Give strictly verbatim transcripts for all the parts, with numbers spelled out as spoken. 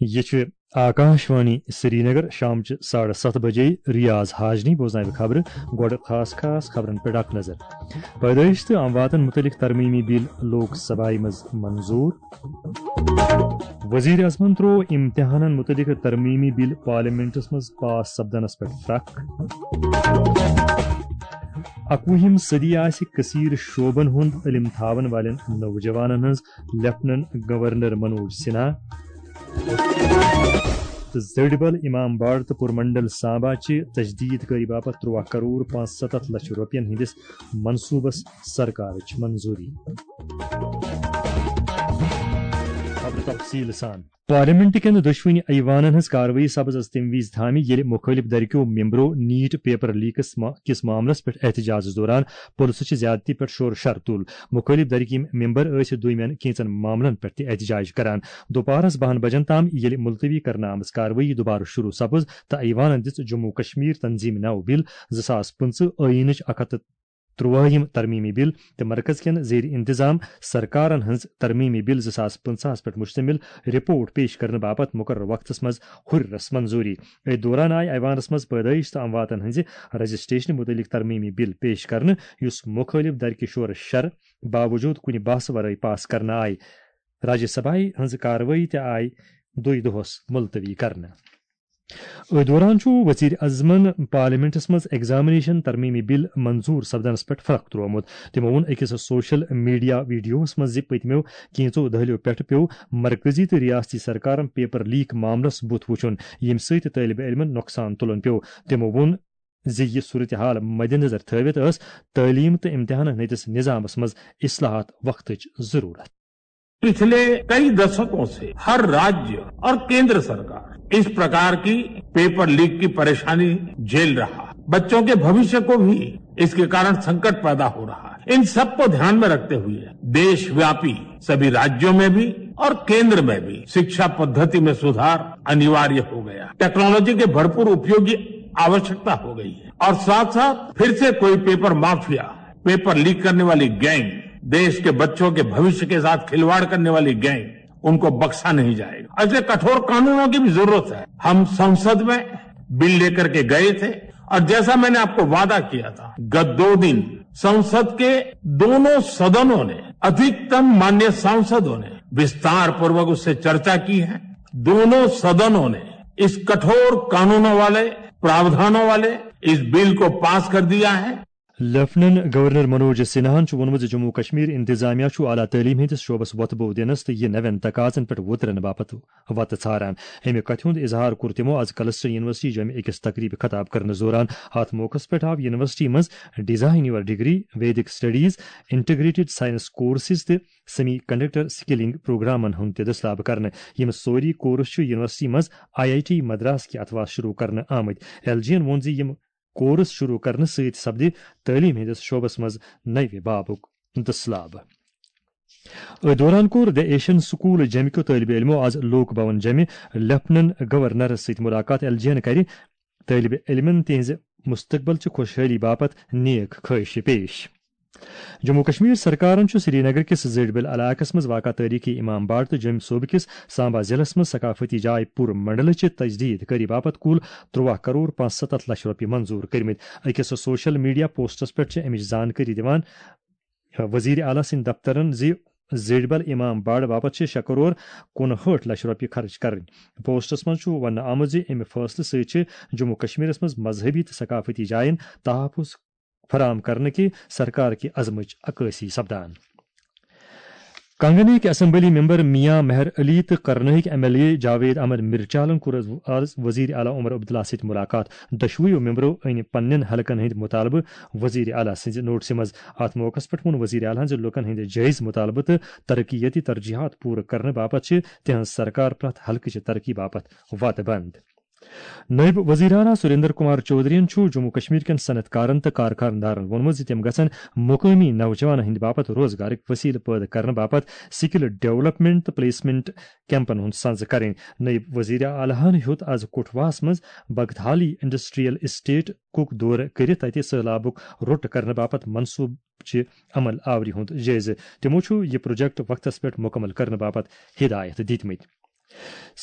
یہِ چھُ آکاش وانی سرینگر۔ شامچہِ ساڑٕ ستھ بجے ریاض حاجنی بوزناوِ خبرٕ۔ گۄڈٕ خاص خاص خبرن پٮ۪ٹھ اکھ نظر۔ پیدٲیش تہٕ امواتن متعلق ترمیمی بل لوک سبھایہ منٛز منظور۔ وزیر اعظمن تروو امتحانن متعلق ترمیمی بل پارلیمنٹس منٛز پاس سپدنس پٮ۪ٹھ فرق۔ اکوُہِم صدی آسہِ کثیر شعبن ہُنٛد علم تھاون والٮ۪ن نوجوانن ہٕنٛز، لیفٹیننٹ گورنر منوج سنہا۔ تہٕ زٔڈۍ بل امام باڑ تہٕ پُرمنڈل سامبا چہِ تجدید کٲری باپتھ ترٛواہ کرور پانٛژھ ستتھ لچھ رۄپین ہٕنٛدِس منصوبس سرکارٕچ منظوری۔ خبرٕ تفصیٖل سان۔ پارلیمنٹ کٮ۪ن دۄشوٕنی ایوانن ہٕنٛز کاروٲیی سپٕز از تَمہِ وِزِ تھامہِ، ییٚلہِ مُخٲلِف دھرِ کیو ممبرو نیٹ پیپر لیکس ما-، کِس معاملس پٮ۪ٹھ احتجاجس دوران پُلسہٕ چہِ زیادتی پٮ۪ٹھ شور شر تُل۔ مُخٲلِف دھرٕکۍ یِم ممبر ٲسۍ دۄیمٮ۪ن کینٛژن معاملن پٮ۪ٹھ تہِ احتجاج کران۔ دوپہرس بَہَن بجن تام ییٚلہِ ملتوی کرنہٕ آمٕژ کاروٲیی دوبارٕ شروع سپٕز تہٕ ایوانن دِژ جموں کشمیر تنظیم نو بل زٕ ساس پٕنٛژٕہ ٲییٖنٕچ اکھ ہتھ تہٕ ترٛوٲہِم ترمیمی بل تہٕ مرکز کٮ۪ن زیر انتظام سرکارن ہٕنٛز ترمیمی بل زٕ ساس پٕنٛژٕہس پٮ۪ٹھ مشتمل رپورٹ پیش کرنہٕ باپتھ مقررٕ وقتس منٛز ہُرِرس منظوری۔ أتھۍ دوران آیہِ ایوانس منٛز پیدٲیش تہٕ امواتن ہٕنٛزِ رجسٹریشن متعلق ترمیمی بل پیش کرنہٕ، یُس مخٲلف دھرِ کہِ شورٕ شر باوجود کُنہِ بحثہٕ ورٲے پاس کرنہٕ آیہِ۔ راجیہ سبھایہ ہٕنٛز کاروٲیی تہِ آیہِ دُے دۄہس ملتوی کرنہٕ۔ أتھۍ دوران چھُ وزیر اعظمن پارلیمنٹس منٛز ایگزامینیشن ترمیمی بل منظور سپدنس پٮ۪ٹھ فرق ترٛوومُت۔ تِمو ووٚن أکِس سوشل میڈیا ویڈیوہس منٛز زِ پٔتمیو کینژو دٔہلیو پٮ۪ٹھ پیوٚو مرکزی تہٕ ریاستی سرکارن پیپر لیک معاملس بُتھ وُچھُن، ییٚمہِ سۭتۍ طٲلبِ علمن نۄقصان تُلُن پیوٚو۔ تِمو ووٚن زِ یہِ صورتحال مدنظر تھٲوِتھ ٲس تعلیٖم تہٕ امتحانن ہٕنٛدِس نظامس منٛز اصلاحات وقتٕچ ضروٗرت۔ पिछले कई दशकों से हर राज्य और केंद्र सरकार इस प्रकार की पेपर लीक की परेशानी झेल रहा है। बच्चों के भविष्य को भी इसके कारण संकट पैदा हो रहा है। इन सबको ध्यान में रखते हुए देशव्यापी सभी राज्यों में भी और केंद्र में भी शिक्षा पद्धति में सुधार अनिवार्य हो गया। टेक्नोलॉजी के भरपूर उपयोग की आवश्यकता हो गई है और साथ साथ फिर से कोई पेपर माफिया, पेपर लीक करने वाली गैंग, देश के बच्चों के भविष्य के साथ खिलवाड़ करने वाली गैंग, उनको बख्शा नहीं जाएगा। ऐसे कठोर कानूनों की भी जरूरत है। हम संसद में बिल लेकर के गए थे और जैसा मैंने आपको वादा किया था, गत दो दिन संसद के दोनों सदनों ने, अधिकतम मान्य सांसदों ने विस्तार पूर्वक उससे चर्चा की है। दोनों सदनों ने इस कठोर कानूनों वाले, प्रावधानों वाले इस बिल को पास कर दिया है। لیفٹیننٹ گورنر منوج سنہاہن چھُ ووٚنمُت زِ جموں کشمیر انتظامیہ چھُ اعلیٰ تعلیٖم ہٕنٛدِس شعبس وۄتھٕ بوٚو دِنس تہٕ یہِ نوٮ۪ن تقاضن پٮ۪ٹھ وۄترن باپتھ وتہٕ ژھاران۔ اَمہِ کتھِ ہُنٛد اظہار کوٚر تِمو از کلسٹر یونیورسٹی جوٚمہِ أکِس تقریبہِ خطاب کرنہٕ دوران۔ اتھ موقعس پٮ۪ٹھ آو یونیورسٹی منٛز Design Your Degree, Vedic Studies, Integrated Science Courses تہٕ Semiconductor Skilling پروگرامن ہُنٛد تہِ دٔسلاب کرنہٕ۔ یِم سٲری کورس چھِ یونیورسٹی منٛز آئی آئی ٹی مدراس کہِ اتھوار شروع کرنہٕ آمٕتۍ۔ ایل جی ین ووٚن زِ یِم کورس شروع کرنہٕ سۭتۍ سپدِ تعلیٖم ہٕنٛدِس شعبس منٛز نوِ بابُک دٔسلاب۔ أتھۍ دوران کوٚر The Asian School جیٚمہِ کیو طٲلبہِ علمو از لوک بھون جیٚمہِ لیفٹیننٹ گورنرس سۭتۍ مُلاقات۔ ایل جی ین کرِ طٲلبہِ علمن تِہنٛزِ مستقبل چہِ خۄشحٲلی باپتھ نیک خٲہشہِ پیش۔ جموں کشمیر سرکارن چھُ سرینگر کِس زیڈبل علاقس منٛز واقع تٲریخی امام باڑ تہٕ جوٚمۍ صوبہٕ کِس سامبا ضلعس منٛز ثقافتی جاے پوٗرٕ منڈلہٕ چہِ تجدید کٲری باپتھ کُل ترٛواہ کرور پانٛژھ ستتھ لچھ رۄپیہِ منظور کٔرمٕتۍ۔ أکِس سوشل میڈیا پوسٹس پٮ۪ٹھ چھِ اَمِچ زانکٲری دِوان وزیر اعلیٰ سٕنٛدۍ دفترن زِ زیڈبل امام باڑ باپتھ چھِ شےٚ کرور کُنہٲٹھ لچھ رۄپیہِ خرٕچ کرٕنۍ۔ پوسٹس منٛز چھُ وننہٕ آمُت زِ اَمہِ فٲصلہٕ سۭتۍ چھِ جموں کشمیرس منٛز مذہبی تہٕ ثقافتی جاین تحفظ فراہم کرنہٕ کہِ سرکار کہِ عزمٕچ عکٲسی سپدان۔ کنگنٕکۍ اسمبلی ممبر میاں مہر علی تہٕ کرنٕکۍ M L A Javed Ahmad مرچالن کوٚر آز وزیر اعلیٰ عمر عبداللہ سۭتۍ ملاقات۔ دۄشوٕیو ممبرو أنۍ پننٮ۪ن حلقن ہٕنٛدۍ مطالبہٕ وزیر اعلیٰ سٕنٛزِ نوٹسہِ منٛز۔ اتھ موقعس پٮ۪ٹھ ووٚن وزیر اعلیٰ ہن زِ لوٗکن ہٕنٛدۍ جٲیز مطالبہٕ تہٕ ترقیتی ترجیحات پوٗرٕ کرنہٕ باپتھ چھِ تِہنٛز سرکار پرٛٮ۪تھ حلقہٕ چہِ ترقی باپتھ وعدٕ بنٛد۔ نٲیِب وزیر اعلیٰ سریندر کمار چودھرین چھُ جموں کشمیر کٮ۪ن صنعت کارن تہٕ کارخانہٕ دارن ووٚنمُت زِ تِم گژھن مقٲمی نوجوانن ہٕنٛدِ باپتھ روزگارٕکۍ وسیلہٕ پٲدٕ کرنہٕ باپتھ سکل ڈیولپمنٹ تہٕ پلیسمنٹ کیمپن ہُنٛد سنزٕ کرٕنۍ۔ نٲیِب وزیر اعلیٰ ہن ہیوٚت از کٹھواہس منٛز بگتھالی انڈسٹریل اسٹیٹ کُک دورٕ کٔرِتھ تتہِ سٔہلابُک روٚٹ کرنہٕ باپتھ منصوبہٕ چہِ عمل آوری ہُنٛد جٲیزٕ۔ تِمو چھُ یہِ پروجیکٹ وقتس پٮ۪ٹھ مُکمل کرنہٕ باپتھ ہدایت دِتمٕتۍ۔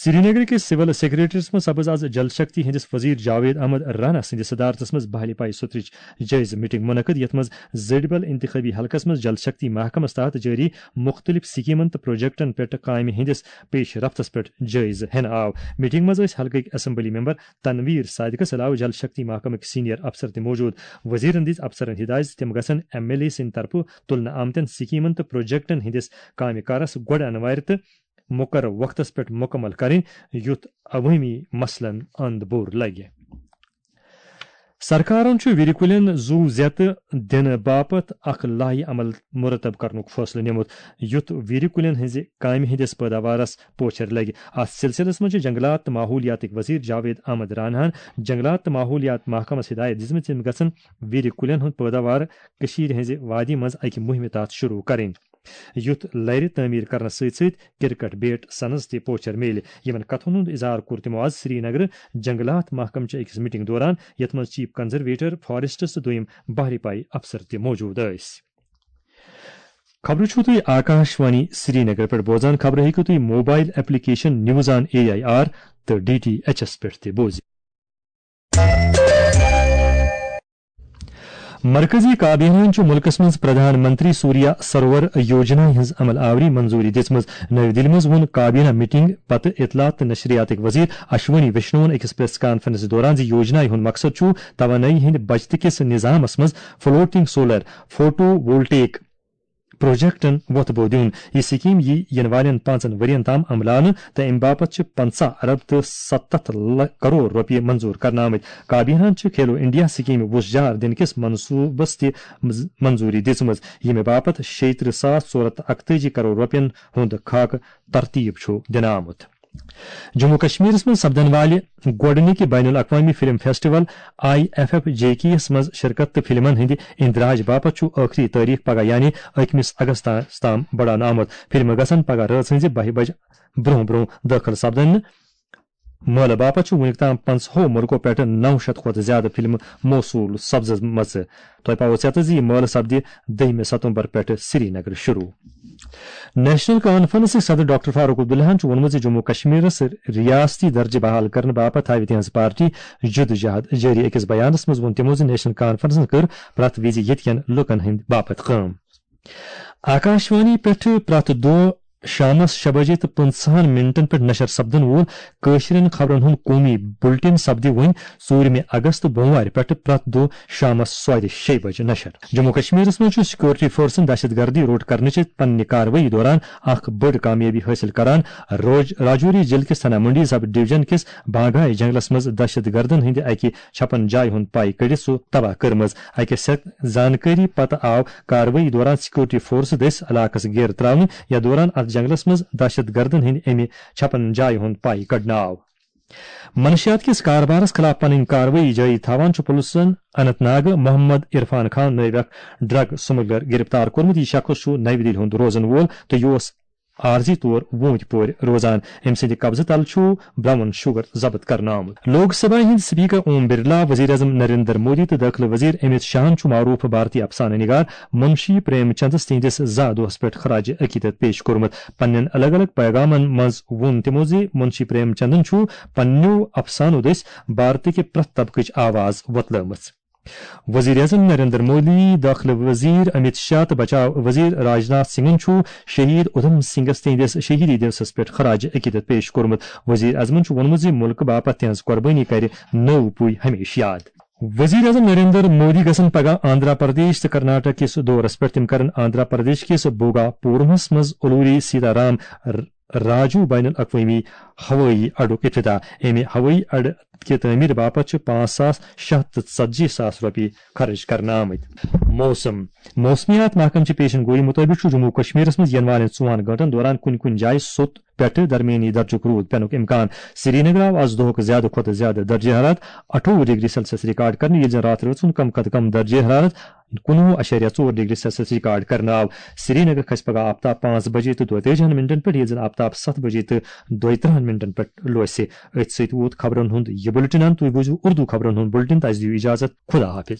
سرینگر کِس سول سیکرٹریٹس منٛز سپٕز آز جل شکتی ہٕنٛدِس وزیر جاوید احمد رانا سٕنٛدِس صدارتس منٛز بحالی پائی سترٕچ جٲیزٕ میٹنگ منعقد، یتھ منٛز زڈبل انتخابی حلقس منٛز جل شکتی محکمس تحت جٲری مُختٔلِف سکیمن تہٕ پروجیکٹن پٮ۪ٹھ کامہِ ہٕنٛدِس پیش رفتس پٮ۪ٹھ جٲیزٕ ہٮ۪نہٕ آو۔ میٹنگ منٛز ٲسۍ حلقٕکۍ اسمبلی ممبر تنویر صادقس علاوٕ جل شکتی محکمٕکۍ سینئر افسر تہِ موجود۔ وزیرن دِژ افسرن ہدایت زِ تِم گژھن ایم ایل اے سٕنٛدِ طرفہٕ تُلنہٕ آمتٮ۪ن سکیمن تہٕ پروجیکٹن ہٕنٛدِس کامہِ کارس گۄڈٕ انوارِ تہٕ مقرر وقتس پٮ۪ٹھ مکمل کرٕنۍ، یُتھ عوٲمی مسلن اند بور لگہِ۔ سرکارن چھُ وِرِ کُلٮ۪ن زُو زیتہٕ دِنہٕ باپتھ اکھ لایحہ عمل مرتب کرنُک فٲصلہٕ نِمُت، یُتھ وِرِ کُلٮ۪ن ہٕنٛزِ کامہِ ہٕنٛدِس پٲداوارس پوچھر لگہِ۔ اتھ سلسلس منٛز چھِ جنگلات تہٕ ماحولیاتٕکۍ وزیر جاوید احمد راناہن جنگلات تہٕ ماحولیات محکمس ہدایت دِژمٕژ، یِم گژھن وِرِ کُلٮ۪ن ہُنٛد پٲداوار کٔشیٖرِ ہٕنٛزِ وادی منٛز اکہِ مُہِمہِ تحت شروع کرٕنۍ، یُتھ لرِ تعمیٖر کرنہٕ سۭتۍ سۭتۍ کرکٹ بیٹ سنز تہِ پوچھر میلہِ۔ یِمن کتھن ہُنٛد اظہار کوٚر تِمو آز سرینگرٕ جنگلات محکمہٕ چہِ أکِس میٹنگ دوران، یتھ منٛز چیف کنزرویٹر فارسٹس تہٕ دوٚیِم بحری پائی افسر تہِ موجود ٲسۍ۔ خبرٕ چھِو تُہۍ آکاش وانی سرینگر پٮ۪ٹھ بوزان۔ خبرٕ ہیٚکِو تُہۍ mobile application news on A I R تہٕ ڈی ٹی ایچ ایس پٮ۪ٹھ تہِ بوٗزِتھ۔ مرکزی کابینہن چھُ مُلکَس منٛز پردھان منتری سوریا سروور یوجنا ہٕنٛز عمل آوری منظوری دِژمٕژ۔ نَوِ دِلہِ منٛز ووٚن کابینہ میٹنگ پتہٕ اطلاعات تہٕ نشریاتٕکۍ وزیر اشونی وشنوَن أکِس پریس کانفرنس دوران زِ یوجنایہِ ہُنٛد مقصد چھُ توانٲیی ہٕنٛدِ بچتہٕ کِس نظامَس منٛز فلوٹنگ سولر فوٹو وولٹیک پروجیکٹن وۄتھ بو دیُن۔ یہِ سکیٖم یی یِنہٕ والٮ۪ن پانٛژن ؤرین تام عملاونہٕ تہٕ اَمہِ باپتھ چھِ پنٛژاہ ارب تہٕ ستتھ لَ-، کرور رۄپیہِ منظوٗر کرنہٕ آمٕتۍ۔ کابینہن چھِ کھیلو انڈیا سکیٖمہِ وُژھ جار دِنہٕ کِس منصوٗبس تہِ منظ-، منظوٗری دِژمٕژ، ییٚمہِ باپتھ شیٚیہِ ترٕٛہ ساس ژور ہتھ تہٕ اکتٲجی کرور رۄپین ہُنٛد خاکہٕ ترتیٖب چھُ دِنہٕ آمُت۔ جموں کشمیرس منٛز سپدن والہِ گۄڈٕنِکہِ بین الاقوامی film festival I F F J K یس منٛز شرکت تہٕ فلمن ہٕنٛدِ اندراج باپتھ چھُ ٲخری تٲریخ پگاہ یعنی أکمِس اگستس تام بڑاونہٕ آمُت۔ فلمہٕ گژھن پگاہ رٲژ ہٕنٛزِ بَہہِ بجہِ برٛونٛہہ برٛونٛہہ دٲخل سپدٕنۍ۔ مٲلہٕ باپتھ چھُ وُنیُک تام پنٛژاہو مُلکو پٮ۪ٹھٕ نَو شیٚتھ کھۄتہٕ زیادٕ فلمہٕ موصوٗل سپزمژٕ۔ تۄہہِ پاوو ژیتہٕ زِ یہِ مٲلہٕ سپدِ دٔہمہِ ستمبر پٮ۪ٹھٕ سرینگرٕ شروع۔ نیشنل کانفرنسٕکۍ صدر ڈاکٹر فاروق عبداللہن چھُ ووٚنمُت زِ جموں کشمیرس ریاستی درجہٕ بحال کرنہٕ باپتھ تھاوِ تِہنٛز پارٹی جدوجہد جٲری۔ أکِس بیانس منٛز ووٚن تِمو زِ نیشنل کانفرنسن کٔر پرٛٮ۪تھ وِزِ ییٚتہِ کٮ۪ن لُکن ہٕنٛدِ باپتھ کٲم۔ آکاشوانی پٮ۪ٹھ پرٛٮ۪تھ دۄہ شامس شےٚ بجے تہٕ پٕنٛژٕہن منٹن پٮ۪ٹھ نشر سپدن وول کٲشرٮ۪ن خبرن ہُنٛد قومی بُلٹن سپدِ وۄنۍ ژوٗرمہِ اگست بوموارِ پٮ۪ٹھ پرٛٮ۪تھ دۄہ شامس سوادِ شیٚیہِ بجہِ نشر۔ جموں کشمیرس منٛز چھُ سیکورٹی فورسن دہشت گردی روٚٹ کرنٕچہِ پننہِ کاروٲیی دوران اکھ بٔڑ کامیٲبی حٲصِل کران۔ روج-، راجوری ضلعہٕ کِس تھانہ منڈی سب ڈویژن کِس بانگائی جنگلس منٛز دہشت گردن ہٕنٛدِ اکہِ چھپن جایہِ ہُنٛد پاے کٔڑِتھ سُہ تباہ کٔرمٕژ۔ اکہِ سخت زانکٲری پتہٕ آو کاروٲیی دوران سیکورٹی فورسہٕ دٔسۍ علاقس گیرٕ تراونہٕ۔ یتھ دوران اتھ جنگلس منٛز دہشت گردن ہٕنٛدِ امہِ چھپن جایہِ ہُنٛد پاے کڑنہٕ آو۔ منشیات کِس کاربارس خلاف پنٕنۍ کاروٲیی جٲری تھاوان چھُ پُلسن اننت ناگ محمد عرفان خان نٲوۍ اکھ ڈرگ سمگلر گرفتار کوٚرمُت۔ یہِ شخص چھُ نَوِ دِلہِ ہُنٛد روزن وول تہٕ یہِ اوس عارضی طور ووٗنٛتۍ پورِ روزان۔ أمۍ سٕنٛدِ قبضہٕ تل چھُ براؤن شوگر ضبط کرنہٕ آمُت۔ لوک سبھا ہٕنٛدۍ سپیکر اوم برلا، وزیر اعظم نریندر مودی تہٕ دٲخلہٕ وزیر امت شاہن چھُ معروف بھارتی افسانہٕ نگار منشی پریم چندس تِہنٛدِس زا دۄہس پٮ۪ٹھ خراج عقیدت پیش کوٚرمُت۔ پننٮ۪ن الگ الگ پیغامن منٛز ووٚن تِمو زِ منشی پریم چندن چھُ پننیو افسانو دٔسۍ بھارتٕکہِ پرٛٮ۪تھ طبقٕچ آواز وۄتلٲومٕژ۔ وزیر اعظم نریندر مودی، داخلہٕ وزیر امت شاہ تہٕ بچاو وزیر راجناتھ سنگھن چھُ شہید اودھم سنگھس تہنٛدِس شہیدی دیوسس پٮ۪ٹھ خراج عقیدت پیش کوٚرمُت۔ وزیر اعظمن چھُ ووٚنمُت زِ مُلکہٕ باپتھ تِہنٛز قۄربٲنی کرِ نٔو پُے ہمیشہٕ یاد۔ وزیر اعظم نریندر مودی گژھن پگاہ آندھرا پردیش تہٕ کرناٹک کِس دورس پٮ۪ٹھ۔ تِم کرن آندھرا پردیش کِس بھوگاپورمس منٛز الوری سیتا رام راجو بین الاقوٲمی ہوٲیی اڈُک افتتاح۔ امہِ ہوٲیی اڈٕ کہِ تعمیٖر باپتھ چھِ پانٛژھ ساس شےٚ ہتھ تہٕ ژتجی ساس رۄپیہِ خرٕچ کرنہٕ آمٕتۍ۔ موسم۔ موسمیات محکمہٕ چہِ پیشن گویی مُطٲبِق چھُ جموں و کشمیرس منٛز یِنہٕ والٮ۪ن ژۄن گٲنٛٹن دوران کُنہِ کُنہِ جایہِ سوٚت پٮ۪ٹھٕ درمیٲنی درجُک روٗد پٮ۪نُک امکان۔ سرینگر آو آز دۄہُک زیادٕ کھۄتہٕ زیادٕ درجہ حرارت اَٹھووُہ ڈگری سیلسیس ریکارڈ کرنہٕ، ییٚلہِ زن راتھ رٲژ ہُنٛد کم کھۄتہٕ کم درجہ حرارت کُنوُہ اَشاریہ ژور ڈگری سیلسیس ریکارڈ کرنہٕ آو۔ سرینگر کھسہِ پگاہ آفتاب پانٛژھ بجے تہٕ دۄیتٲجِہن منٹن پٮ۪ٹھ، ییٚلہِ زن آفتاب ستھ بجے تہٕ دۄیترٕہن منٹن پٮ۪ٹھ لوسہِ۔ أتھۍ سۭتۍ ووت خبرن ہُنٛد یہِ بُلٹن اند۔ تُہۍ بوٗزِو اردو خبرن ہُنٛد بُلٹن۔ تہٕ اَسہِ دِیِو اجازت۔ خدا حافظ۔